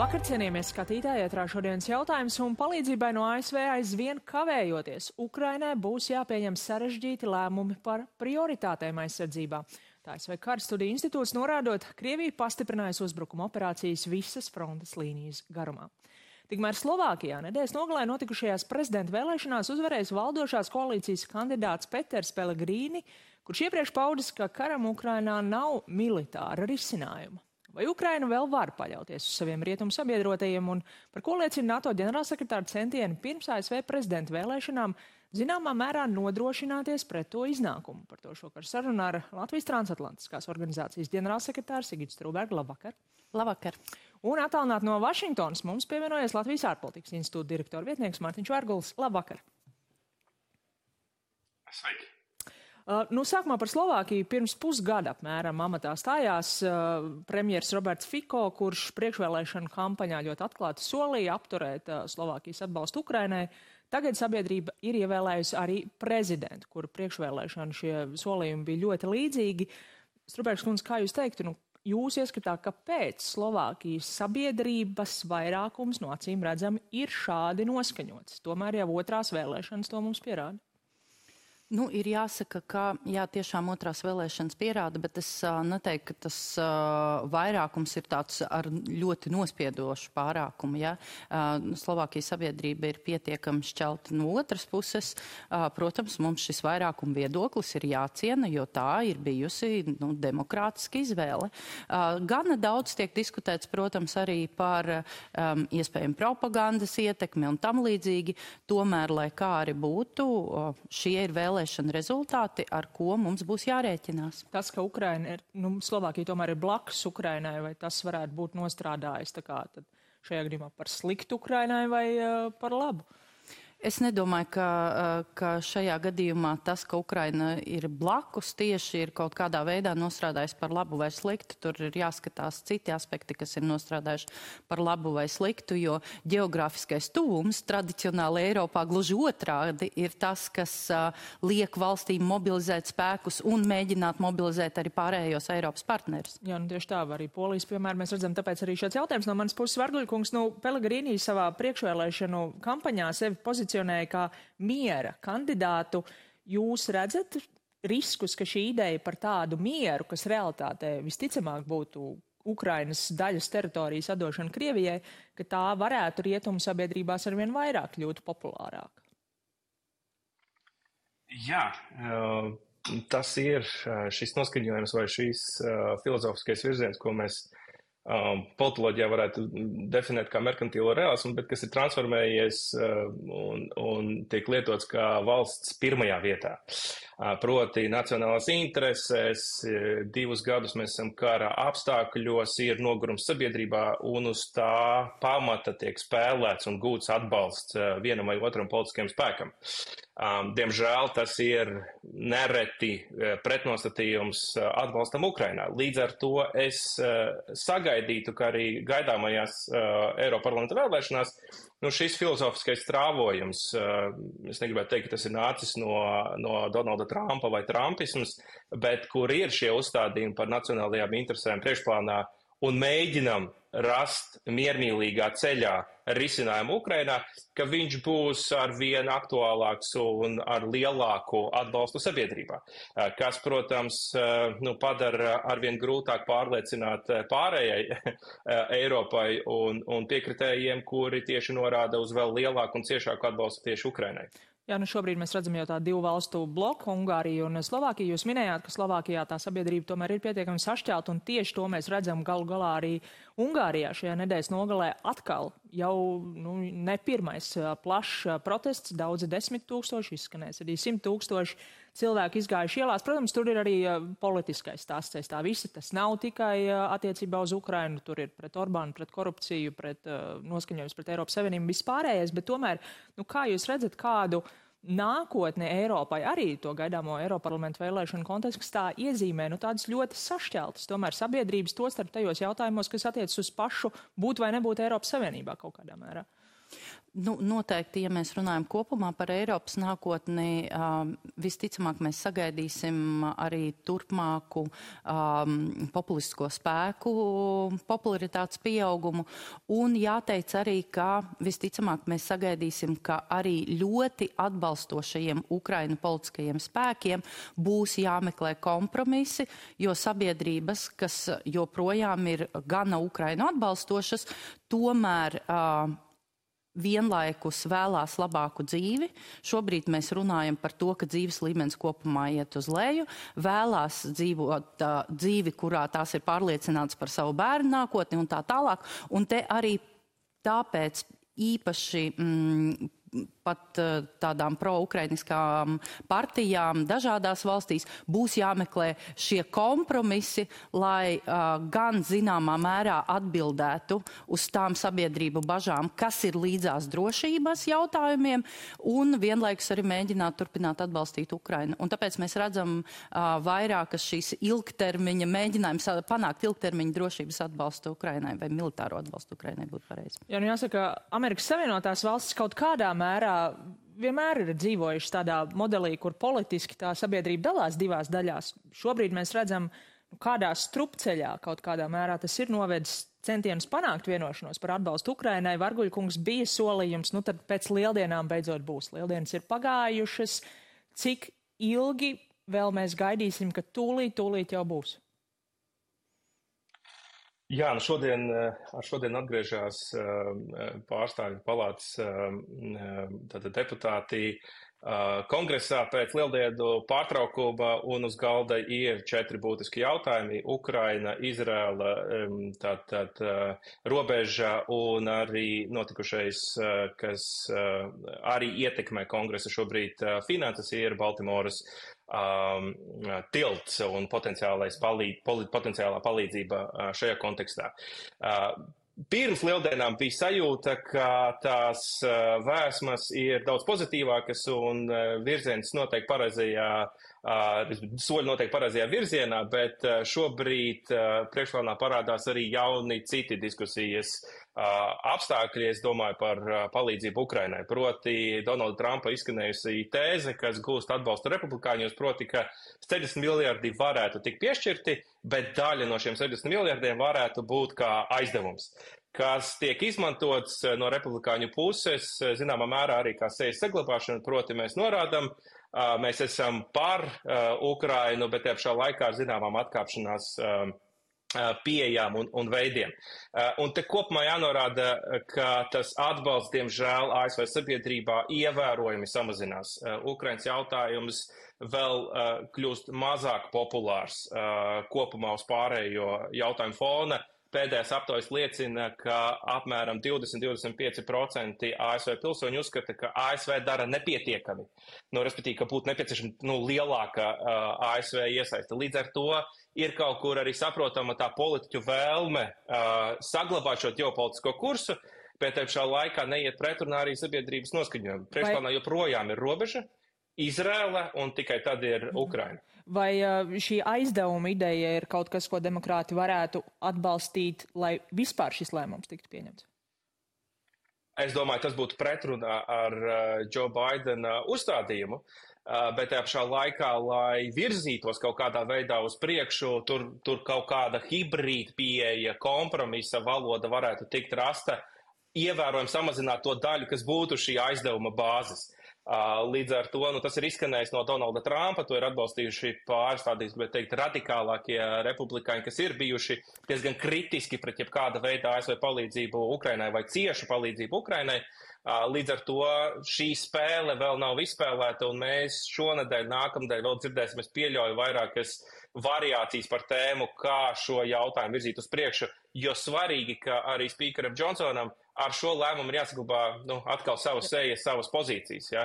Labvakar, cienījamies skatītāji, ētrā šodienas jautājums un palīdzībai no ASV aizvien kavējoties. Ukrainai būs jāpieņem sarežģīti lēmumi par prioritātēm aizsardzībā. Tā ASV Karstudiju institūts norādot, Krievija pastiprinājusi uzbrukuma operācijas visas frontes līnijas garumā. Tikmēr Slovākijā nedēļas nogalē notikušajās prezidenta vēlēšanās uzvarējis valdošās koalīcijas kandidāts Peters Pellegrini, kurš iepriekš paudis, ka karam Ukrainā nav militāra risinājuma. Vai Ukraina vēl var paļauties uz saviem rietumu sabiedrotajiem un par ko liecina NATO ģenerālsekretāra centieni pirms ASV prezidenta vēlēšanām zināmā mērā nodrošināties pret to iznākumu? Par to šokar sarunā ar Latvijas transatlantiskās organizācijas ģenerālsekretāru Sigitu Strūbergu. Labvakar! Labvakar! Un attālināt no Vašingtonas mums pievienojies Latvijas ārpolitikas institūta direktora vietnieks Mārtiņš Vērgulis. Labvakar! Sveiki! Sākumā par Slovākiju. Pirms pusgada apmēram amatā stājās premjers Roberts Fico, kurš priekšvēlēšanu kampaņā ļoti atklāti solīja apturēt Slovākijas atbalstu Ukrainai. Tagad sabiedrība ir ievēlējusi arī prezidentu, kuru priekšvēlēšanu šie solījumi bija ļoti līdzīgi. Strūbergs kundze, kā jūs teiktu, jūs ieskatā, kāpēc Slovākijas sabiedrības vairākums no acīm redzami ir šādi noskaņots? Tomēr jau otrās vēlēšanas to mums pierāda. Ir jāsaka, ka tiešām otrās vēlēšanas pierāda, bet es neteiktu, ka tas vairākums ir tāds ar ļoti nospiedošu pārākumu. Ja? Slovākijas sabiedrība ir pietiekami šķelta no otras puses. Protams, mums šis vairākuma viedoklis ir jāciena, jo tā ir bijusi demokrātiska izvēle. Gana daudz tiek diskutēts, protams, arī par iespējamu propagandas ietekmi un tam līdzīgi. Tomēr, lai kā arī būtu, šie ir vēlēšana rezultāti, ar ko mums būs jārēķinās. Tas, ka Ukraina ir, Slovākija tomēr ir blakus Ukrainai, vai tas varētu būt nostrādājis tad šajā gadījumā par sliktu Ukrainai vai par labu? Es nedomāju, ka šajā gadījumā tas, ka Ukraina ir blakus, tieši ir kaut kādā veidā nostrādājis par labu vai sliktu. Tur ir jāskatās citi aspekti, kas ir nostrādājuši par labu vai sliktu, jo geogrāfiskais tuvums tradicionāli Eiropā gluži otrādi ir tas, kas liek valstīm mobilizēt spēkus un mēģināt mobilizēt arī pārējos Eiropas partnerus. Jā, tieši tā, arī Polijas, piemēram, mēs redzam, tāpēc arī šāds jautājums no manas puses. Vērguļkungs, Pellegrini savā priekšvēlēšanu kampaņā sevi pozicionēja kā miera kandidātu. Jūs redzat riskus, ka šī ideja par tādu mieru, kas realitātē visticamāk būtu Ukrainas daļas teritorijas atdošana Krievijai, ka tā varētu rietumu sabiedrībās arvien vairāk kļūt populārāk? Jā, tas ir šis noskaņojums vai šīs filozofiskais virziens, ko mēs politoloģijā varētu definēt kā merkantīlo realismu, bet kas ir transformējies un tiek lietots kā valsts pirmajā vietā. Proti nacionālās intereses, 2 gadus mēs esam kara apstākļos, ir nogurums sabiedrībā un uz tā pamata tiek spēlēts un gūts atbalsts vienam vai otram politiskajam spēkam. Diemžēl tas ir nereti pretnostatījums atbalstam Ukrainā. Līdz ar to es sagaidītu, ka arī gaidāmajās Eiroparlamenta vēlēšanās šis filozofiskais strāvojums, es negribētu teikt, ka tas ir nācis no Donalda Trumpa vai trumpisms, bet kur ir šie uzstādījumi par nacionālajām interesēm priekšplānā un mēģinam rast miermīlīgā ceļā risinājumu Ukrainā, ka viņš būs arvien aktuālāks un ar lielāku atbalstu sabiedrībā, kas, protams, padara arvien grūtāk pārliecināt pārējai Eiropai un piekritējiem, kuri tieši norāda uz vēl lielāku un ciešāku atbalstu tieši Ukrainai. Jā, šobrīd mēs redzam jau tā 2 valstu bloku, Ungāriju un Slovākiju. Jūs minējāt, ka Slovākijā tā sabiedrība tomēr ir pietiekami sašķelta, un tieši to mēs redzam galu galā arī Ungārijā šajā nedēļas nogalē atkal jau ne pirmais plašs protests, daudzi 10 000, izskanēs arī 100 000 cilvēku izgājuši ielās. Protams, tur ir arī politiskais stāsts aiz tā visa. Tas nav tikai attiecībā uz Ukrainu, tur ir pret Orbānu, pret korupciju, pret noskaņojums pret Eiropas Savienību vispārējais, bet tomēr, kā jūs redzat, kādu nākotne Eiropai arī to gaidāmo Eiroparlamentu vēlēšanu kontekstā iezīmē tādas ļoti sašķeltas tomēr sabiedrības, tostarp tajos jautājumos, kas attiecas uz pašu būt vai nebūt Eiropas Savienībā kaut kādā mērā? Nu, noteikti, ja mēs runājam kopumā par Eiropas nākotni, visticamāk mēs sagaidīsim arī turpmāku populistisko spēku popularitātes pieaugumu. Un jāteic arī, ka visticamāk mēs sagaidīsim, ka arī ļoti atbalstošajiem Ukrainu politiskajiem spēkiem būs jāmeklē kompromisi, jo sabiedrības, kas joprojām ir gana Ukrainu atbalstošas, tomēr vienlaikus vēlās labāku dzīvi. Šobrīd mēs runājam par to, ka dzīves līmenis kopumā iet uz leju, vēlās dzīvot dzīvi, kurā tās ir pārliecināts par savu bērnu nākotni un tā tālāk. Un te arī tāpēc īpaši pat tādām pro-ukrainiskām partijām dažādās valstīs būs jāmeklē šie kompromisi, lai gan zināmā mērā atbildētu uz tām sabiedrību bažām, kas ir līdzās drošības jautājumiem, un vienlaikus arī mēģināt turpināt atbalstīt Ukrainu. Un tāpēc mēs redzam vairākas šīs ilgtermiņa mēģinājums panākt ilgtermiņa drošības atbalstu Ukrainai vai militāro atbalstu Ukrainai būtu pareizi. Jā, nu jāsaka, Amerikas Savienotās valstis kaut kādā mērā vienmēr ir dzīvojuši tādā modelī, kur politiski tā sabiedrība dalās divās daļās. Šobrīd mēs redzam, kādā strupceļā kaut kādā mērā tas ir novedis centienus panākt vienošanos par atbalstu Ukrainai. Varguļkungs bija solījums, nu tad pēc lieldienām beidzot būs. Lieldienas ir pagājušas. Cik ilgi vēl mēs gaidīsim, ka tūlīt jau būs? Jā, nu šodien atgriežās pārstāvju palātas deputāti kongresā pēc lieldienu pārtraukuma, un uz galda ir 4 būtiski jautājumi - Ukraina, Izraela, robeža un arī notikušais, kas arī ietekmē kongresa šobrīd finanses, ir Baltimoras tilts un potenciālā palīdzība šajā kontekstā. Pirms lieldienām bija sajūta, ka tās vēsmas ir daudz pozitīvākas un virziens noteikti soļi noteikti pareizajā virzienā, bet šobrīd priekšplānā parādās arī jauni citi diskusijas apstākļi, es domāju par palīdzību Ukrainai. Proti Donalda Trumpa izskanējusi tēze, kas gūst atbalstu republikāņos, proti, ka 70 miljardi varētu tikt piešķirti, bet daļa no šiem 70 miljardiem varētu būt kā aizdevums, kas tiek izmantots no republikāņu puses, zināmā mērā arī kā sejas saglabāšana, proti mēs norādam, mēs esam par Ukrainu, bet te pašā laikā ar zināmām atkāpšanās pieejām un veidiem. Un te kopumā jānorāda, ka tas atbalsts, diemžēl, ASV sabiedrībā ievērojami samazinās. Ukrainas jautājums vēl kļūst mazāk populārs kopumā uz pārējo jautājumu fona. Pēdējās aptaujas liecina, ka apmēram 20–25% ASV pilsoņu uzskata, ka ASV dara nepietiekami. Respektīvi, ka būtu nepieciešama lielāka ASV iesaiste. Līdz ar to ir kaut kur arī saprotama tā politiķu vēlme saglabāt šo ģeopolitisko kursu, bet te pašā laikā neiet pretrunā arī sabiedrības noskaņojumu. Priekšplānā joprojām ir robeža, Izraela un tikai tad ir Ukraina. Vai šī aizdevuma ideja ir kaut kas, ko demokrāti varētu atbalstīt, lai vispār šis lēmums tiktu pieņemts? Es domāju, tas būtu pretrunā ar Joe Bidena uzstādījumu, bet tajā pašā laikā, lai virzītos kaut kādā veidā uz priekšu, tur kaut kāda hibrīda pieeja, kompromisa valoda varētu tikt rasta, ievērojami samazināt to daļu, kas būtu šī aizdevuma bāzes. Līdz ar to tas ir izskanējis no Donalda Trumpa, to ir atbalstījuši pāris tādīs, bet teikt, radikālākie republikāņi, kas ir bijuši diezgan kritiski pret jebkāda veida ASV palīdzību Ukrainai vai ciešu palīdzību Ukrainai. Līdz ar to šī spēle vēl nav izspēlēta, un mēs šonedēļ, nākamdēļ vēl dzirdēsim, es pieļauju vairākas variācijas par tēmu, kā šo jautājumu virzīt uz priekšu, jo svarīgi, ka arī spīkeram Džonsonam ar šo lēmumu ir jāsaglabā atkal savas sejas, savas pozīcijas, ja?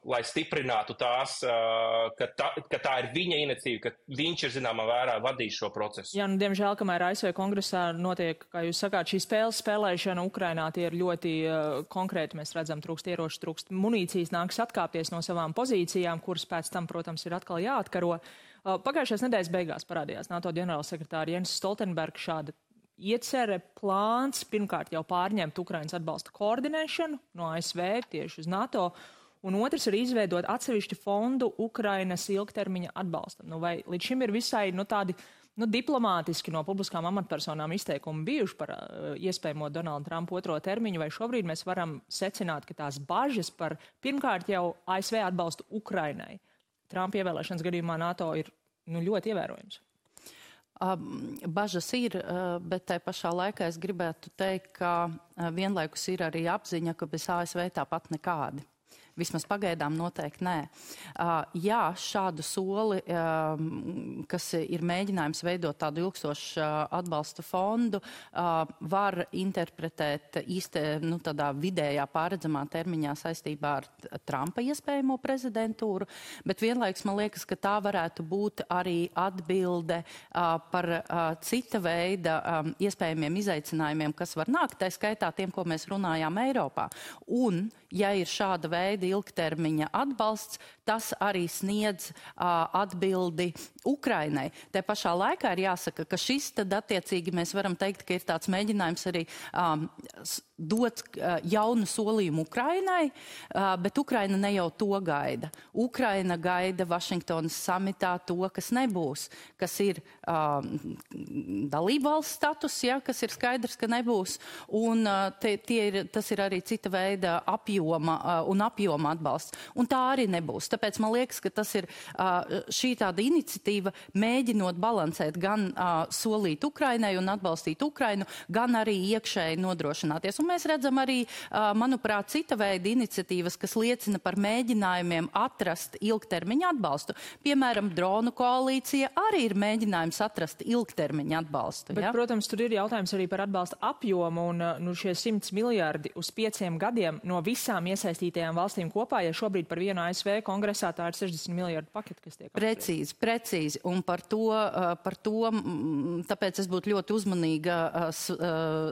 Lai stiprinātu tās, ka tā ir viņa iniciatīva, ka viņš ir zināmā vērā vadījis šo procesu. Jā, diemžēl, kamēr ASV kongresā notiek, kā jūs sakāt, šī spēles spēlēšana Ukrainā, tie ir ļoti konkrēti, mēs redzam, trūkst ieroču, trūkst munīcijas, nāks atkāpties no savām pozīcijām, kuras pēc tam, protams, ir atkal jāatkaro. Pagājušās nedēļas beigās parādījās NATO ģenerālsekretāra Jens Stoltenbergs šāda iecere, plāns pirmkārt jau pārņemt Ukrainas atbalsta koordinēšanu no ASV tieši uz NATO, un otrs ir izveidot atsevišķu fondu Ukrainas ilgtermiņa atbalstam. Vai līdz šim ir visai tādi diplomātiski no publiskām amatpersonām izteikumi bijuši par iespējamo Donalda Trumpa otro termiņu, vai šobrīd mēs varam secināt, ka tās bažas par pirmkārt jau ASV atbalstu Ukrainai Trumpa ievēlēšanas gadījumā NATO ir ļoti ievērojams? Bažas ir, bet tai pašā laikā es gribētu teikt, ka vienlaikus ir arī apziņa, ka bez ASV tāpat nekādi. Vismaz pagaidām noteikti nē. Jā, šādu soli, kas ir mēģinājums veidot tādu ilgstošu atbalsta fondu, var interpretēt tādā vidējā pārredzamā termiņā saistībā ar Trumpa iespējamo prezidentūru, bet vienlaikus man liekas, ka tā varētu būt arī atbilde par cita veida iespējamiem izaicinājumiem, kas var nākt, tā skaitā tiem, ko mēs runājām Eiropā. Un, ja ir šāda veida ilgtermiņa atbalsts, tas arī sniedz atbildi Ukrainai. Te pašā laikā ir jāsaka, ka šis tad attiecīgi mēs varam teikt, ka ir tāds mēģinājums arī dot jaunu solījumu Ukrainai, bet Ukraina ne jau to gaida. Ukraina gaida Vašingtonas samitā to, kas nebūs, kas ir dalībvalsts status, ja, kas ir skaidrs, ka nebūs, un tas ir arī cita veida apjoma atbalsts. Un tā arī nebūs. Tāpēc man liekas, ka tas ir šī tāda iniciatīva mēģinot balansēt gan solīt Ukrainai un atbalstīt Ukrainu, gan arī iekšēji nodrošināties. Un mēs redzam arī, manuprāt, cita veida iniciatīvas, kas liecina par mēģinājumiem atrast ilgtermiņa atbalstu. Piemēram, dronu koalīcija arī ir mēģinājums atrast ilgtermiņa atbalstu. Bet, protams, tur ir jautājums arī par atbalsta apjomu un šie 100 miljardi uz 5 gadiem no visām iesaistītajām valstīm kopā, ja šobrīd par vienu ASV kongresā tā ir 60 miljardu paketi, kas tiek apspriesti. Precīzi. Un par to, tāpēc es būtu ļoti uzmanīga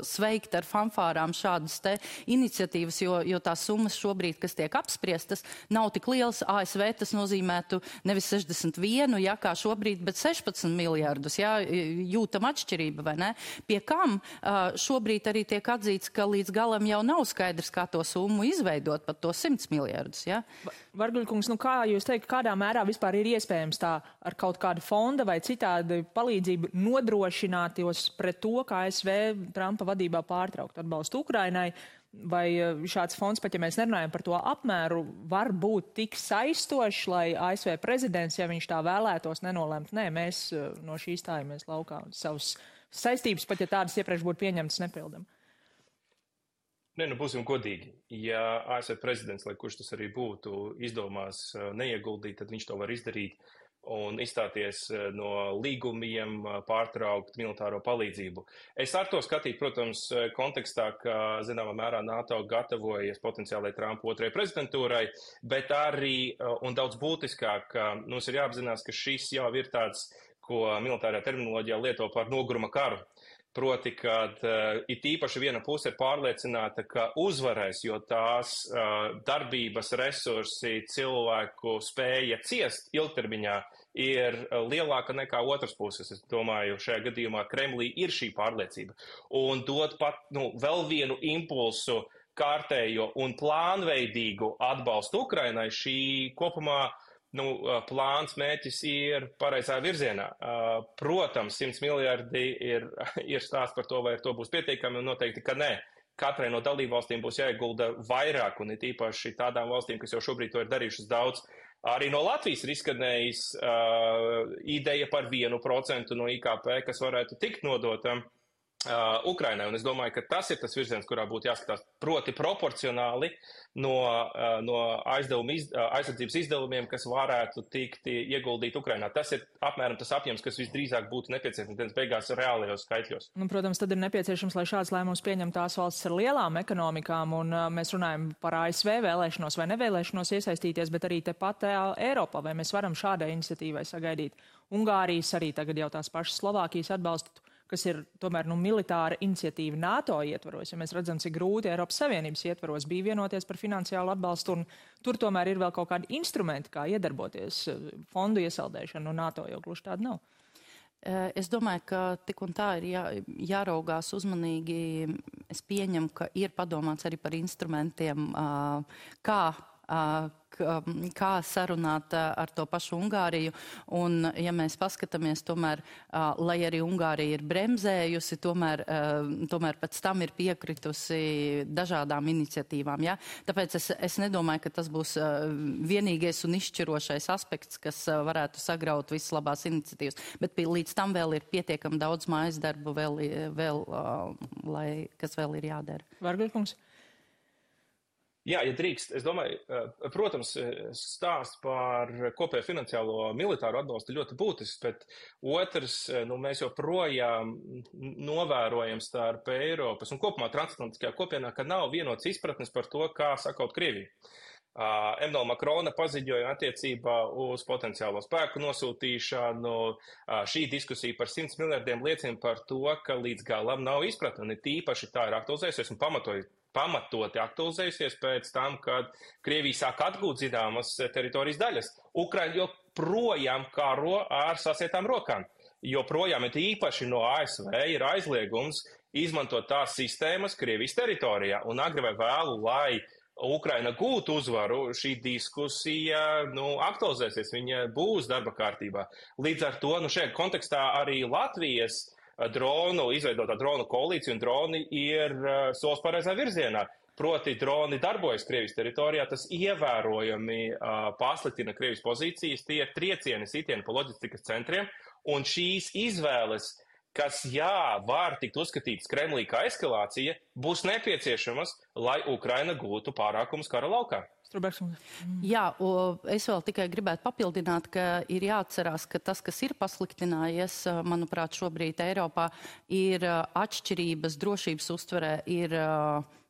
sveikt ar fanfārām šādas te iniciatīvas, jo tās summas šobrīd, kas tiek apspriestas, nav tik lielas. ASV tas nozīmētu nevis 61, ja, kā šobrīd, bet 16 miljardus, ja, jūtam atšķirība, vai ne? Pie kam šobrīd arī tiek atzīts, ka līdz galam jau nav skaidrs, kā to summu izveidot, pat to 100 miljardus, ja? Varguļkungs, kā jūs teikt, kādā mērā vispār ir iespējams tā ar kaut kādu fonda vai citādi palīdzību nodrošināties pret to, kā ASV Trumpa vadībā pārtraukt atbalstu Ukrainai, vai šāds fonds, pat ja mēs nerunājam par to apmēru, var būt tik saistošs, lai ASV prezidents, ja viņš tā vēlētos, nenolemt, nē, mēs no šī stājamies laukā un savas saistības, pat ja tādas iepriekš būtu pieņemtas, nepildam. Nē, būsim godīgi. Ja ASV prezidents, lai kurš tas arī būtu, izdomās neieguldīt, tad viņš to var izdarīt un izstāties no līgumiem, pārtraukt militāro palīdzību. Es ar to skatītu, protams, kontekstā, ka, zināmā mērā, NATO gatavojas potenciālai Trumpa otrajai prezidentūrai, bet arī, un daudz būtiskāk, mums ir jāapzinās, ka šis jau ir tāds, ko militārajā terminoloģijā lieto par noguruma karu. Proti, kad it īpaši viena puse ir pārliecināta, ka uzvarēs, jo tās darbības resursi, cilvēku spēja ciest ilgtermiņā ir lielāka nekā otras puses. Es domāju, šajā gadījumā Kremlī ir šī pārliecība. Un dot pat vēl vienu impulsu kārtējo un plānveidīgu atbalstu Ukrainai, šī kopumā plāns mērķis ir pareizā virzienā. Protams, 100 miljardi ir stāsts par to, vai ar to būs pietiekami, un noteikti, ka nē. Katrai no dalībvalstīm būs jāiegulda vairāk, un it īpaši tādām valstīm, kas jau šobrīd to ir darījušas daudz. Arī no Latvijas ir izskanējis ideja par 1% no IKP, kas varētu tikt nodotam Ukrainai, un es domāju, ka tas ir tas virziens, kurā būtu jāskatās proti proporcionāli no aizsardzības izdevumiem, kas varētu tikt ieguldīt Ukrainā. Tas ir apmēram tas apjoms, kas visdrīzāk būtu nepieciešams dienas beigās reālajos skaitļos. Protams, tad ir nepieciešams, lai šāds lēmums pieņem tās valstis ar lielām ekonomikām, un mēs runājam par ASV vēlēšanos vai nevēlēšanos iesaistīties, bet arī tepat Eiropā, vai mēs varam šādai iniciatīvai sagaidīt Ungārijas, arī tagad jau tās pašas Slovākijas atbalstu, kas ir tomēr militāra iniciatīva NATO ietvaros. Ja mēs redzam, cik grūti Eiropas Savienības ietvaros bija vienoties par finansiālu atbalstu, un tur tomēr ir vēl kaut kādi instrumenti, kā iedarboties fondu iesaldēšanu, un NATO jau gluži tāda nav. Es domāju, ka tik un tā ir jāraugās uzmanīgi. Es pieņemu, ka ir padomāts arī par instrumentiem, kā sarunāt ar to pašu Ungāriju. Un, ja mēs paskatāmies, tomēr, lai arī Ungārija ir bremzējusi, tomēr pēc tam ir piekritusi dažādām iniciatīvām. Ja? Tāpēc es nedomāju, ka tas būs vienīgais un izšķirošais aspekts, kas varētu sagraut visas labās iniciatīvas. Bet līdz tam vēl ir pietiekami daudz mājas darbu, kas vēl ir jādara. Vargļkungs. Jā, ja drīkst, es domāju, protams, stāsts par kopējo finansiālo militāro atbalstu ļoti būtisks, bet otrs, mēs joprojām novērojam starp Eiropas un kopumā transatlantiskajā kopienā, ka nav vienots izpratnes par to, kā sakaut Krieviju. Emmanuela Macrona paziņoja attiecībā uz potenciālo spēku nosūtīšanu. Šī diskusija par 100 miljardiem liecina par to, ka līdz galam nav izpratne. Tīpaši tā ir aktualizējusies un pamatoti aktualizējusies pēc tam, kad Krievija sāk atgūt zināmas teritorijas daļas. Ukraina joprojām karo ar sasietām rokām. Joprojām īpaši no ASV ir aizliegums izmantot tās sistēmas Krievijas teritorijā. Un agri vai vēlu, lai Ukraina gūtu uzvaru, šī diskusija aktualizēsies, viņa būs darba kārtībā. Līdz ar to šajā kontekstā arī Latvijas izveidotā dronu koalīcija un droni ir solis pareizā virzienā. Proti droni darbojas Krievijas teritorijā, tas ievērojami pasliktina Krievijas pozīcijas, tie ir triecieni sitieni pa loģistikas centriem, un šīs izvēles, kas var tikt uzskatītas Kremlī kā eskalācija, būs nepieciešamas, lai Ukraina gūtu pārākumus kara laukā. Jā, es vēl tikai gribētu papildināt, ka ir jāatcerās, ka tas, kas ir pasliktinājies, manuprāt, šobrīd Eiropā, ir atšķirības drošības uztverē, ir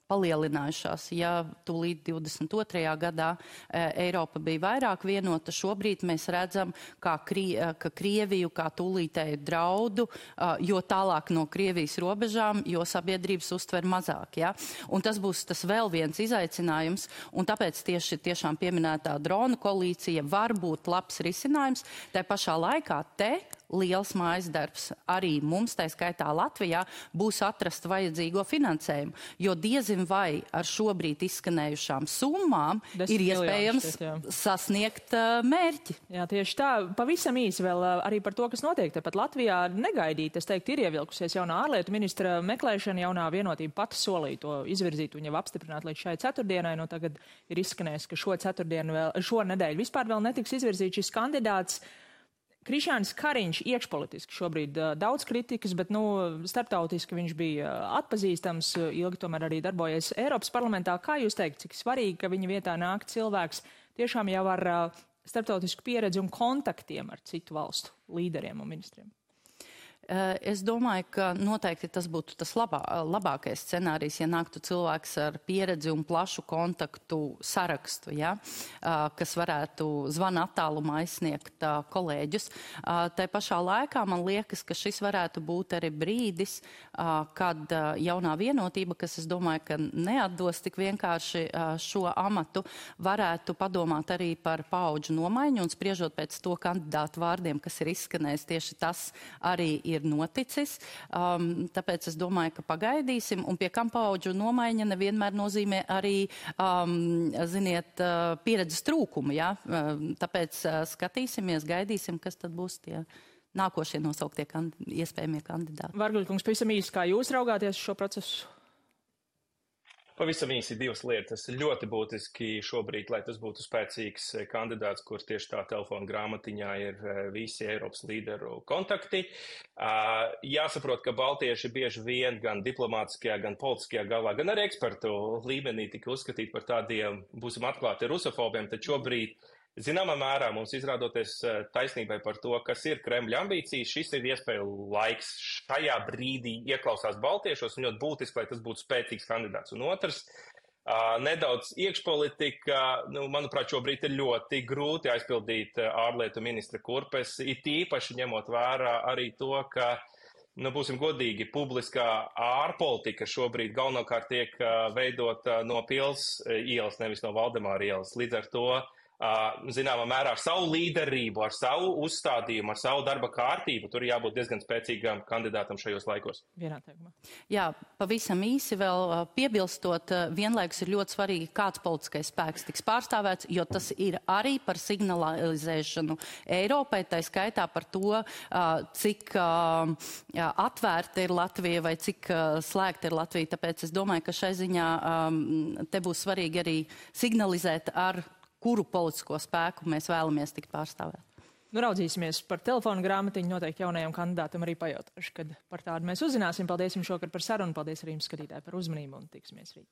palielinājušās. Ja tūlīt 22. gadā Eiropa bija vairāk vienota, šobrīd mēs redzam, ka Krieviju kā tūlītēju draudu, jo tālāk no Krievijas robežām, jo sabiedrības uztver mazāk. Ja? Un tas būs tas vēl viens izaicinājums, un tāpēc tieši tiešām pieminētā dronu koalīcija var būt labs risinājums. Tā pašā laikā liels mājas darbs arī mums, tā skaitā Latvijā, būs atrast vajadzīgo finansējumu, jo diezin vai ar šobrīd izskanējušām summām ir iespējams sasniegt mērķi. Jā, tieši tā. Pavisam īsi vēl arī par to, kas notiek. Tāpat Latvijā negaidīt, es teiktu, ir ievilkusies jaunā ārlietu ministra meklēšana, jaunā vienotība pati solīja to izvirzīt un jau apstiprināt līdz šai ceturtdienai. Tagad ir izskanējis, ka šonedēļ vispār vēl netiks izvirzīt šis kandidāts. Krišjānis Kariņš iekšpolitiski šobrīd daudz kritikas, bet starptautiski viņš bija atpazīstams, ilgi tomēr arī darbojies Eiropas parlamentā. Kā jūs teikt, cik svarīgi, ka viņa vietā nāk cilvēks tiešām jau ar starptautisku pieredzi un kontaktiem ar citu valstu līderiem un ministriem? Es domāju, ka noteikti tas būtu tas labākais scenārijs, ja nāktu cilvēks ar pieredzi un plašu kontaktu sarakstu, ja, kas varētu zvana attālumā aizsniegt kolēģus. Tā pašā laikā man liekas, ka šis varētu būt arī brīdis, kad jaunā vienotība, kas es domāju, ka neatdos tik vienkārši šo amatu, varētu padomāt arī par paudžu nomaiņu un spriežot pēc to kandidātu vārdiem, kas ir izskanējis, tieši tas arī ir noticis. Tāpēc es domāju, ka pagaidīsim, un pie kam paudžu nomaiņa nevienmēr nozīmē arī, pieredzes trūkumu. Ja? Tāpēc skatīsimies, gaidīsim, kas tad būs tie nākošie nosauktie iespējamie kandidāti. Vargļkungs, pavisam īsi, kā jūs raugāties šo procesu? Pavisam īsi divas lietas. Ļoti būtiski šobrīd, lai tas būtu spēcīgs kandidāts, kur tieši tā telefona grāmatiņā ir visi Eiropas līderu kontakti. Jāsaprot, ka baltieši bieži vien gan diplomātiskajā, gan politiskajā galā, gan arī ekspertu līmenī tika uzskatīt par tādiem, būsim atklāti, rusofobiem, tad šobrīd zināmā mērā mums izrādoties taisnībai par to, kas ir Kremļa ambīcijas, šis ir iespēja laiks šajā brīdī ieklausās baltiešos un ļoti būtiski, lai tas būtu spēcīgs kandidāts. Un otrs, nedaudz iekšpolitika, manuprāt, šobrīd ir ļoti grūti aizpildīt ārlietu ministra kurpes, it īpaši ņemot vērā arī to, ka, būsim godīgi, publiskā ārpolitika šobrīd galvenokārt tiek veidota no Pils ielas, nevis no Valdemāra ielas. Līdz ar to zināmā mērā ar savu līderību, ar savu uzstādījumu, ar savu darba kārtību. Tur jābūt diezgan spēcīgam kandidātam šajos laikos. Vienā teikumā. Jā, pavisam īsi vēl piebilstot, vienlaikus ir ļoti svarīgi, kāds politiskais spēks tiks pārstāvēts, jo tas ir arī par signalizēšanu Eiropai, tā skaitā par to, cik atvērta ir Latvija vai cik slēgta ir Latvija. Tāpēc es domāju, ka šai ziņā te būs svarīgi arī signalizēt, ar kuru politisko spēku mēs vēlamies tikt pārstāvēt. Nu, raudzīsimies par telefonu grāmatiņu, noteikti jaunajam kandidātam arī pajautāšu, kad par tādu mēs uzzināsim. Paldies jums šokar par sarunu, paldies arī jums skatītāji par uzmanību un tiksimies rīt.